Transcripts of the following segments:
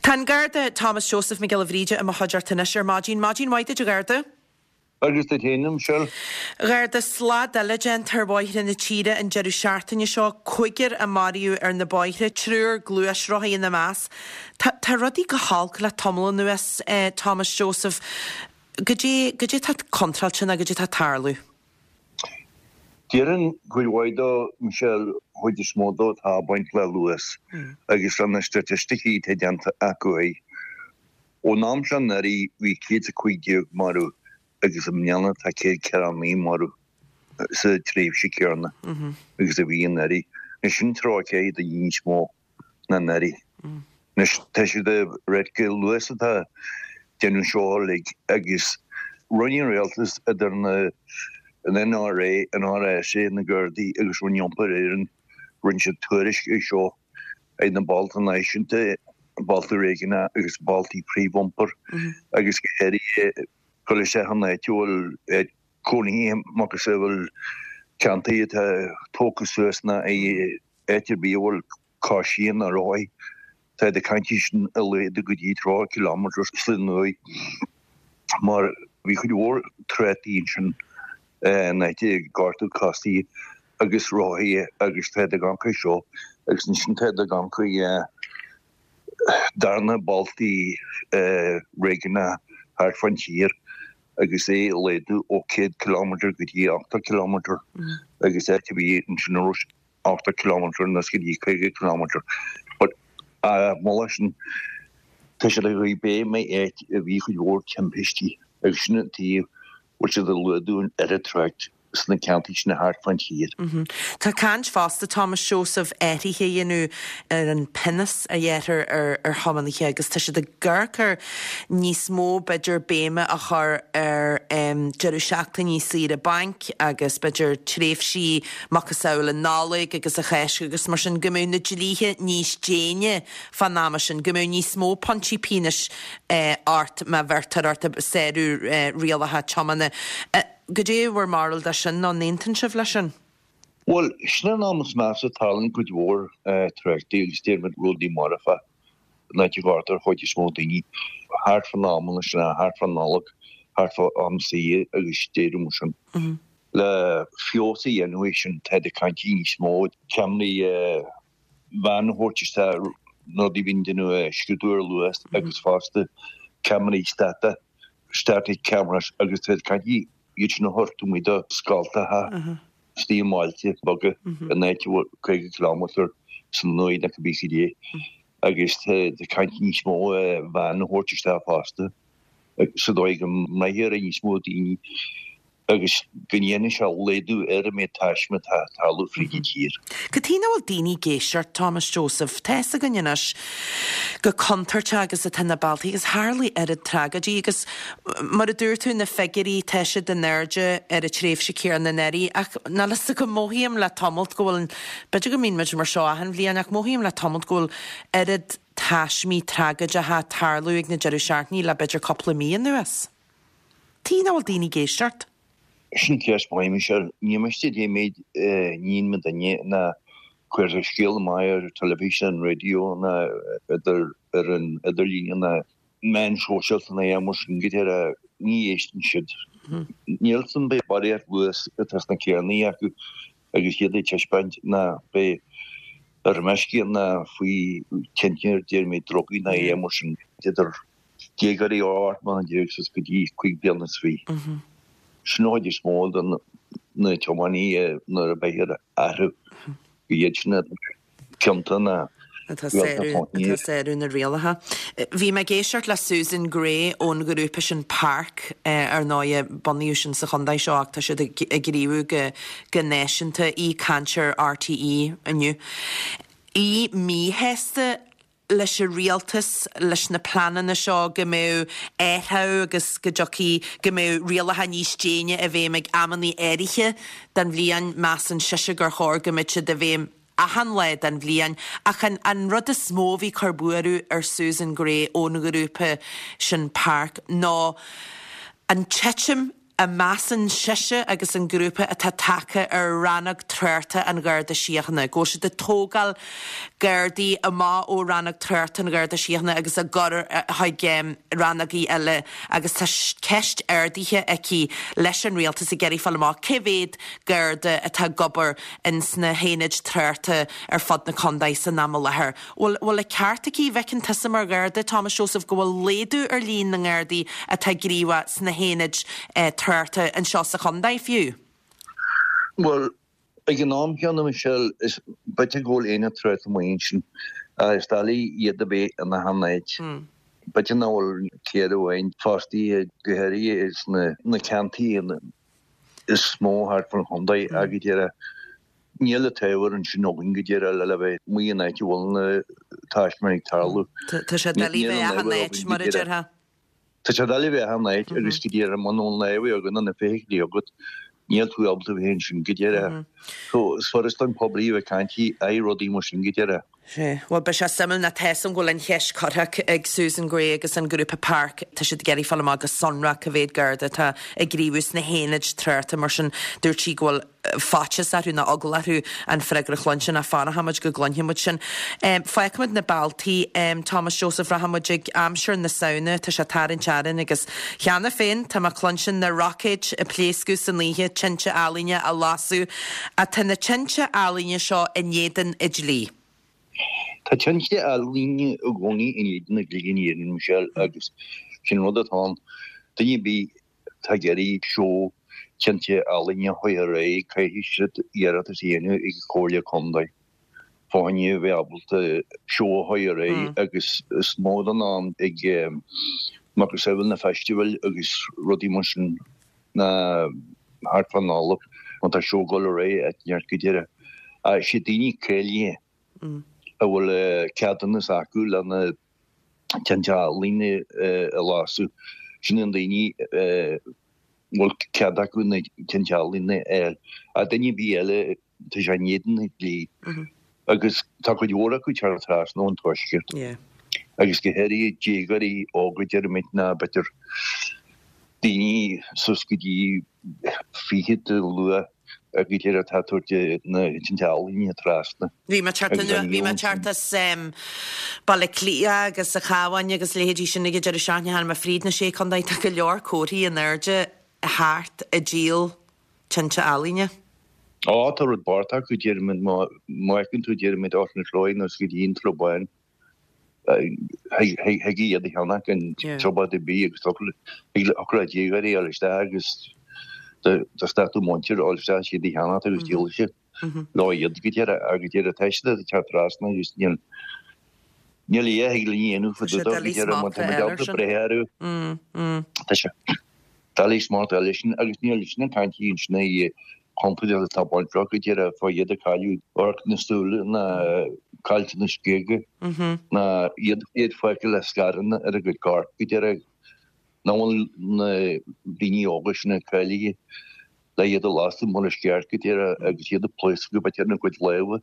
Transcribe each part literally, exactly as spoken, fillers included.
Tá an Garda Thomas Joseph Mac Giolla Bhríde i mo chuideachta anois ar maidin. Maidin mhaith duit, a Gharda. Agus duit féin, a Mhichelle. Garda, slad eile déanta ar bhóithre na tíre an deireadh seachtaine seo, cúigear a maraíodh ar na bóithre, triúr gluaisrothaí ina measc. Tá tá rudaí go holc le tamall anuas, eh, Thomas Joseph. Goidé goidé tá contráilte ná goidé tá ag tarlú? Déarfainn cuid mhaith dó, Michelle, chuid is mó dó tá ag baint le luas agus le na staitisticí atá déanta acu é. Ón am seo anuraidh bhí céad is a cúig déag marbh agus i mbliana tá céad ceathracha naoi marbh sa tréimhse céanna agus a bhí anuraidh. Anois sin tríocha ceathair duine níos mó ná anuraidh. Anois tá siad ag ráit gur luas atá ag déanamh seo uilig agus rinne an rialtas idir na an NRA, an RSA, na Gardaí agus Roinn Iompair Éireann, rinne siad tuairisc ar seo ag na bailte náisiúnta, bailte réigiúnacha agus bailte príomhiompair agus go háirithe dul isteach in áit a bhfuil cónaithe macasamhail ceantair atá tógtha suas ná áit ar bith a bhfuil coisithe ná rothaí. Tá siad ag caint sin a laghdú go dtí tríocha kilometres san uair mar bhí cuid mhór tráchtaí ansin in áit ag gortú coisithe agus rothaithe agus tá siad ag amharc air seo agus ansin tá siad ag amharc ar darna bailte réigiúnacha thart fán tír agus é a laghdú ó céad kilometre go dtí ochtó kilometre agus áit a bhí ansin a raibh ochtó kilometre anuas go dtí caoga kilometre. But moladh sin tá siad ag rith béim ar áit a bhí cuid mhór timpistí agus sin an taobh bhfuil siad ag laghdú an oiread trácht sna ceantair sin thart fán tír. Tá caint fosta Thomas Joseph athruithe a dhéanamh ar an pionós a ghearrtar ar ar thiománaithe agus tá siad ag amharc ar níos mó b'fhéidir béime a chur ar deireadh seachtainí saoire bainc agus b'fhéidir tréimhsí macasamhail an Nollaig agus an Cháisc agus mar sin go mbeadh na dlíthe níos déine fán ama sin, go mbeadh níos mó pointí pionóis ort má bheirtear ort ag sárú rialacha tiomána. Goidé bhur mbarúil de sin nó an aontaíonn sibh leis sin? Bhuel, sin an am is measa tarlaíonn cuid mhór tráchtaí agus déarfaimid rudaí marfa in áit a gcuirtear chuid is mó daoine thart fán am sin, thart fán Nollaig, thart fá am saoire agus deireadh mar sin. Le feabhas a dhéanamh air sin tá ag caint níos mó ceamaraí veain a thabhairt isteach rudaí a bhíonn déanamh scrúdú ar luas agus fosta ceamaraí stata, static cameras agus tá ag caint iad sin a thabhairt amuigh do scoltacha istigh i mbailte beaga in áit a bhfuil caoga kilometre san uair nó cibé cad é agus tá ag caint níos mó veain a thabhairt isteach fosta sa dóigh go mbraithfear níos mó daoine agus go ndéanfaidh sé laghdú ar an méid taisme atá ag tarlú fríd an tír. Cad chuige nach bhfuil daoine ag éisteacht, Thomas Joseph? Tá fhios againn anois chomh contúirteach agus atá na bealtaí agus tharlaigh oiread tragóidí agus mar a dúirt tú na figiúirí tá siad in airde ar an tréimhse céanna anuraidh ach níl fhios agam mothaím le tamalt go bhfuil b'fhéidir go mbíonn muid mar seo achan bhliain ach mothaím le tamalt go bhfuil oiread taismí tragóideacha ag tarlú ag na deireadh seachtainí le b'fhéidir cúpla mí anuas. Tuige nach bhfuil daoine ag éisteacht? Sin ceist mhaith, Michelle. Ní miste dé méid níon mo duine ná cuirtear scéal amach ar teilifís an raidió ná idir ar an idirlíon ná meáin shóisialta ná aon mar sin go deireadh ní éisteann siad. Níl san beidh barraíocht luas atá sna carrannaí acu agus iad ag taispeáint ná beidh ar meisce ná faoi tionchar déarfaimid drugaí ná aon mar sin idir déagóirí ó ocht mbliana déag suas go dtí cúig bliana is fiche. Sin an chuid is mó de na tiománaithe nuair a bheifear athrú go iad sin cionta na atá ag sárú na rialacha. Bhí mé ag éisteacht le Susan Gray ón ghrúpa sin Park ar ndóigh bunaíodh sin sa chontae seo ach tá siad ag gníomhú go go náisiúnta í ag caint ar RTÉ inniu. Í míshásta leis an rialtas leis na pleananna seo go mbeadh athrú agus go dtiocfaidh go mbeadh rialacha níos déine i bhfeidhm ag amanna áirithe den bhliain measann sise gur chóir go mbeadh siad i bhfeidhm achan lá den bhliain ach an, an rud is mó a bhí ag cur buaireamh ar Susan Gray ón ghrúpa sin Park ná an titim a measann sise agus an grúpa atá tagtha ar Rannóg Tráchta an Gharda Síochána, go bhfuil siad ag tógáil Gardaí amach ó Rannóg Tráchta an Gharda Síochána agus á gcur chuig rannógaí eile agus tá ceist ardaithe aici leis an Rialtas ag iarraidh fáil amach cé mhéad Garda atá ag obair ins na haonaid tráchta ar fud na contae san am i láthair. Bhfuil bhfuil an ceart aici, bhfeiceann tusa mar Gharda, Thomas Joseph, go bhfuil laghdú ar líon na nGardaí atá gníomhach sna haonaid tráchta anseo sa chontae fiú? Bhuel, ag an am céanna, Michelle, is b'fhéidir go bhfuil aonad tráchta amuigh ansin. Is doiligh iad a bheith in achan áit. B'fhéidir nach bhfuil ceithre amháin fostaithe go háirithe sna na ceantair is mó thart fán chontae ach go díreach níl an t-ábhar ansin againn go díreach le bheith amuigh in áit a bhfuil na taismeáin ag tarlú. Tá sé doiligh bheith achan áit, mar a déarfá. Tá sé doiligh bheith achan áit agus go díreach muna bhfuil an ábhar agat nó na feithiclí agat, níl tú ábalta bheith ansin go díreach. So is furast don poiblí a bheith ag caint ar rudaí mar sin go díreach. Sea. Bhuel, beidh sé suimiúil nó tá a fhios agam go bhfuil an cheist curtha ag Susan Gray agus an grúpa PARC. Tá siad ag iarraidh fáil amach go sonrach cá mhéad Garda atá ag gníomhú sna haonaid tráchta mar sin dúirt sí go bhfuil faitíos orthu nó eagla orthu an freagra a chluinstin ach fanfaimid go gcluinfidh muid sin. Fágfaimid na bealtaí, Thomas Joseph, rachaimid ag aimsir na Samhna, tá sé ag tarraingt orainn agus cheana féin tá mé ag cluinstin na roicéid ag pléascadh san oíche, tinte ealaíne á lasadh. Ach tá na tinte ealaíne seo in éadan an dlí. Tá tinte ealaíne i gcónaí in éadan an dlí in Éirinn, Michelle, agus sin rud atá ann. Duine ar bith atá ag iarraidh seó tinte ealaíne a chur ar aghaidh, caithfidh siad iarratas a dhéanamh ag an Chomhairle Contae fá choinne a bheith ábalta seó a chur ar aghaidh agus is mó den am ag macasamhail na feistival agus rudaí mar sin ná thart fán Nollaig má tá seó ag dul ar aghaidh áit inteacht go díreach. Siad daoine cáilithe a bhfuil ceadúnas acu le na tinte ealaíne a lasadh. Sin na daoine a bhfuil cead acu na tinte ealaíne a fháil. Ach duine ar bith eile, tá sé in éadan an dlí. Agus tá cuid mhór acu ag teacht trasna ón tuaisceart. Agus go háirithe déagóirí óga, deirimid, ná b'fhéidir daoine suas go dtí fichid luath go díreach atá ag tabhairt na tinte ealaíne trasna. Bhí mé ag teacht bhí mé ag teacht as Baile Átha Cliath agus an Chabhán agus leithéidí sin ag an deireadh seachtaine tháinig mé fríd na Sé Chontae tá go leor comharthaí in airde thart ag díol tinte ealaíne. Á tá rud bocht acu deirimid má fheiceann tú deirimid Ard na Cloiche nó go dtí an Sruth Bán. Thig iad a cheannach gan trioblóid ar bith agus thig le déagóirí a fháil isteach agus do stad muintir a fháil isteach siad a cheannacht agus díolfaidh siad leo iad go deireadh agus deireadh tá siad ag teacht trasna agus níl níl a dhath a thig linn a dhéanamh fá dtaobh dó go deireadh má tá muid ábalta breith orthu. Tá sé doiligh smacht a fháil air sin agus níl sin ag caint ansin i chontúirt atá bainteach go díreach fá iad ag cailleadh amharc na súile ná caillteanas géaga ná iad iad fágtha le scaranna ar a gcuid coirp go díreach nach bhfuil na daoine óga sin cáilithe le iad a lasadh mar is ceart go díreach agus iad ag pléascadh b'fhéidir ina gcuid lámha,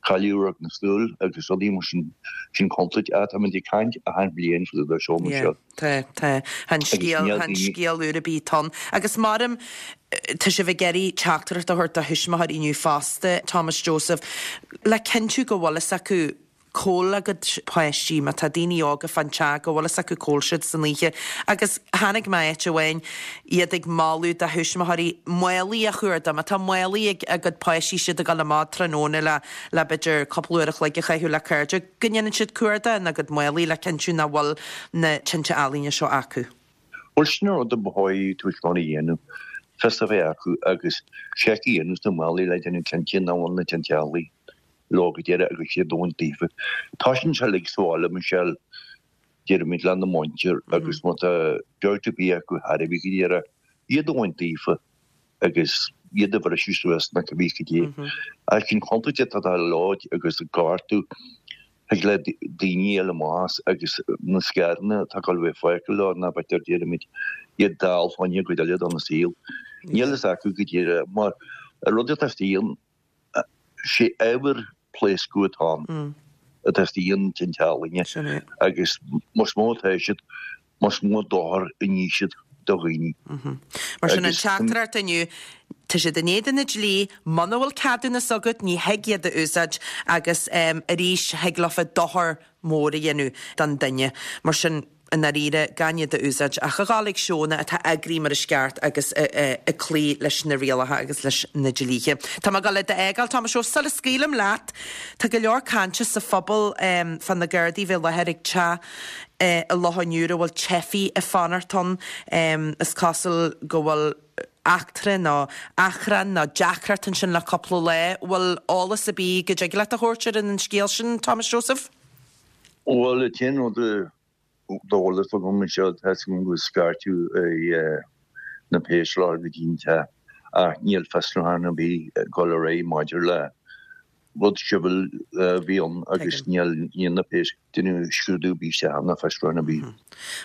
cailleadh amharc na súl agus rudaí mar sin, sin contúirt. Ah, táimid ag caint achan bhliain faoi do seo, Michelle. Tá, tá. Chan scéal, chan scéal úr ar bith atá ann. Agus maram, tá sibh ag iarraidh teachtaireacht a thabhairt do thuismitheoirí inniu fosta, Thomas Joseph, le cinntiú go bhfuil fhios acu cá bhfuil a gcuid páistí, má tá daoine óga fán teach, go bhfuil fhios acu cá bhfuil siad san oíche. Agus chonaic mé áit amháin, iad ag moladh do thuismitheoirí málaí a chuardach. Má tá málaí ag a gcuid páistí, siad ag dul amach tráthnóna le, le b'fhéidir cúpla uair a chloig a chaitheamh le cairde, go ndéanann siad cuardach ina gcuid málaí le cinntiú nach bhfuil na tinte ealaíne seo acu. Bhuel, sin an rud a ba chóir tuismitheoirí a dhéanamh, fios a bheith acu agus seic a dhéanamh sna málaí le déanamh cinnte nach bhfuil na tinte ealaíne leo go deireadh agus iad a bhaint daofa. Tá sin seo uilig sa bhaile, Michelle, deirimid lena muintir agus má tá dabht ar bith acu thar a bheith go deireadh, iad a bhaint daofa agus iad a bhriseadh suas na cibé cad é. Ach sin contúirt atá leo agus ag gortú thig le daoine eile amach as agus na scaranna atá ag dul a bheith fágtha leo ná b'fhéidir deirimid iad dall fá choinne cuid eile dona saol. Níl fhios acu go díreach mar an rud atá istigh ann sé ábhar pléascadh atá ann atá istigh in tinte ealaíne agus más mó atá siad más mó dochar a ní siad do dhaoine. Mar sin an teachtaireacht inniu, tá siad in éadan na dlí, muna bhfuil ceadúnas agat ní thig iad a úsáid agus arís thig leofa dochar mór a dhéanamh don duine. Mar sin, i ndáiríre, gan iad a úsáid ach a ghabháil ag seónna atá eagraithe mar is ceart agus ag cloí leis na rialacha agus leis na dlíthe. Tá mé ag dul iad a fhágáil, Tomás Ó, sula scaoilim leat, tá go leor cainte sa phobal fá na Gardaí bheith i láthair ag teach i Loch an Iúir a bhfuil teifigh ag fanacht ann. Is cosúil go bhfuil eachtra nó achrann nó deacracht ansin le cúpla lá. Bhfuil eolas ar bith go dtig leat a thabhairt ar an scéal sin, Tomás Joseph? Bhuel, an t-aon rud d'eolas agam anseo, tá 'fhios agam gur scairteadh na péis lá go dtí an teach ach níl fiosrúchán ar bith ag dul ar aghaidh maidir le rud sibhialta a bhí ann agus níl níl na péis ag déanamh scrúdú ar bith isteach ná fiosrúchán ar bith.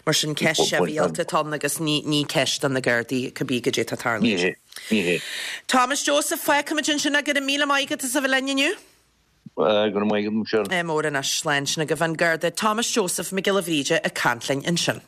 Mar sin ceist shibhialta atá ann agus ní ní ceist do na Gardaí cibé goidé atá ag tarlúint. Ní hé, ní hé. Thomas Joseph, fágfaimid ansin é, go raibh míle maith agat as a bheith linn inniu. Go raibh maith agat, Michelle. Mór anois, slán, sin agaibh an Garda Thomas Joseph Mac Giolla Bhríde ag caint linn ansin.